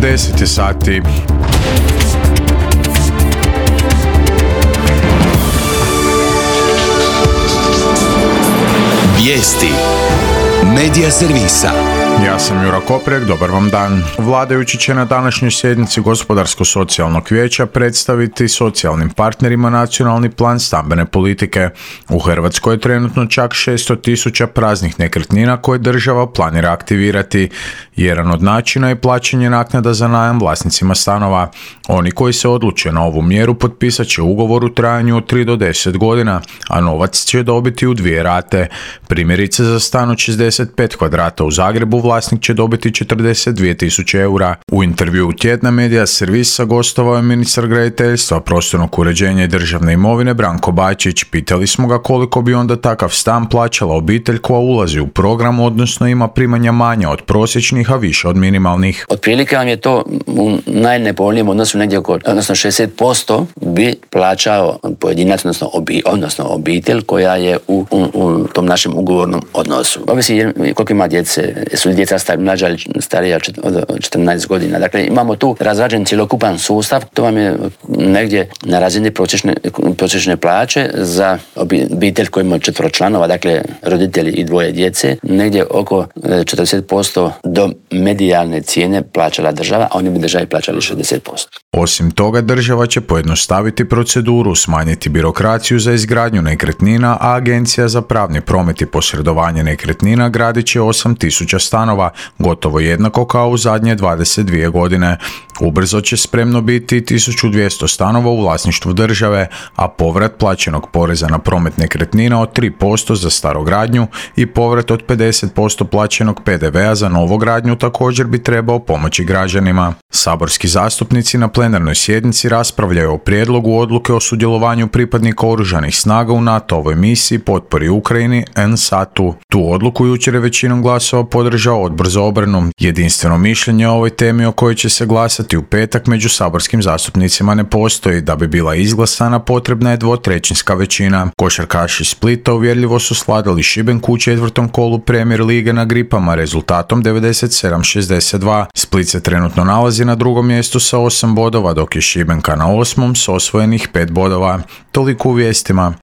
10 je sati. Vijesti Medija servisa. Ja sam Jura Koprek, dobar vam dan. Vladajući će na današnjoj sjednici Gospodarsko-socijalnog vijeća predstaviti socijalnim partnerima nacionalni plan stambene politike. U Hrvatskoj je trenutno čak 600.000 praznih nekretnina koje država planira aktivirati. Jedan od načina je plaćanje naknada za najam vlasnicima stanova. Oni koji se odluče na ovu mjeru potpisat će ugovor u trajanju od 3 do 10 godina, a novac će dobiti u 2 rate. Primjerice za stan od 65 kvadrata u Zagrebu vlasnik će dobiti 42.000 eura. U intervjuu Tjedna Medija servisa gostovao je ministar graditeljstva, prostornog uređenja i državne imovine Branko Bačić. Pitali smo ga koliko bi onda takav stan plaćala obitelj koja ulazi u program, odnosno ima primanja manja od prosječnih, a više od minimalnih. Otprilike vam je to u najnepovoljnijem odnosu negdje odnosno 60% bi plaćao pojedinac, odnosno obitelj koja je u tom našem ugovornom odnosu. Ovisi koliko ima djece, su li djeca mlađa ili starija od 14 godina. Dakle, imamo tu razrađen cjelokupan sustav, to vam je negdje na razini prosječne plaće za obitelj koji ima 4 članova, dakle roditelji i 2 djece, negdje oko 40% do medijalne cijene plaćala država, a oni bi državi plaćali 60%. Osim toga, država će pojednostaviti proceduru, smanjiti birokraciju za izgradnju nekretnina, a Agencija za pravni promet i posredovanje nekretnina gradit će 8.000 stanova, gotovo jednako kao u zadnje 22 godine. Ubrzo će spremno biti 1.200 stanova u vlasništvu države, a povrat plaćenog poreza na promet nekretnina od 3% za starogradnju i povrat od 50% plaćenog PDV-a za novogradnju također bi trebao pomoći građanima. Saborski zastupnici na plenarnoj sjednici raspravljaju o prijedlogu odluke o sudjelovanju pripadnika oružanih snaga u NATO-ovoj misiji potpori Ukrajini NSATU. Tu odluku jučer je većinom glasova podržao Odbor za obranu. Jedinstveno mišljenje o ovoj temi o kojoj će se glasati u petak među saborskim zastupnicima ne postoji. Da bi bila izglasana potrebna je 2/3 većina. Košarkaši Splita uvjerljivo su svladali Šibenku u 4. kolu Premier lige na Gripama rezultatom 97-62. Split se trenutno nalazi na 2. mjestu sa 8 bodova, dok je Šibenka na 8. s osvojenih 5 bodova. Toliko u vijestima.